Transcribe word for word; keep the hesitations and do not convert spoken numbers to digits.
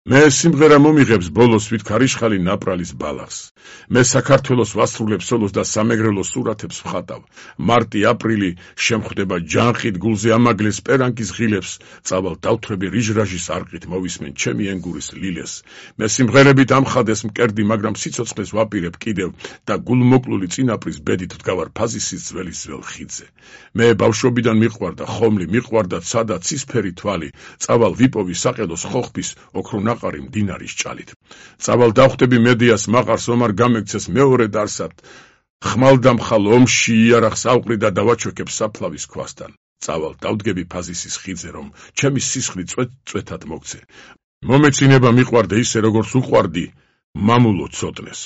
მე სიმღერა მომიღებს ბოლოს ვით ქარიშხალი ნაპრალის ბალახს. მე საქართველოს ვასრულებ სოლოს და სამეგრელოს სურათებს ვხატავ. მარტი აპრილი შემხვდება ჯანხით გულზე ამაგლეს პერანკის ღილებს. წავალ დავთვრები რიჟრაჟის არყით მოვისმენ ჩემი ენგურის ლილეს. მე სიმღერებით ამხადეს მკერდი, მაგრამ სიცოცხლეს ვაპირებ კიდევ და გულმოკლული წინაპრის ბედით ვდგავარ ფაზისის ძველი ძველ ხიდზე. მე ბავშვობიდან მიყვარდა ხომლი, მიყვარდა ცადა ცისფერი თვალი. წავალ ვიპოვი საყელოს ხოხბის ოქრო ნაყარი მდინარის ჭალით. წავალ დავხვდები მედიას მაყარს ომარ გამექცეს მეორე დარსად. ხმალდამხალ ომში იარაღს ავყრი და დავაჩვექებ საფლავის ქვასთან. წავალ დავდგები ფაზისის ხიდზე, რომ ჩემი სისხლი წვეთ-წვეთად მოგცე. მომეცინება მიყვარდე ისე, როგორც უყვარდი მამულო ცოტნეს.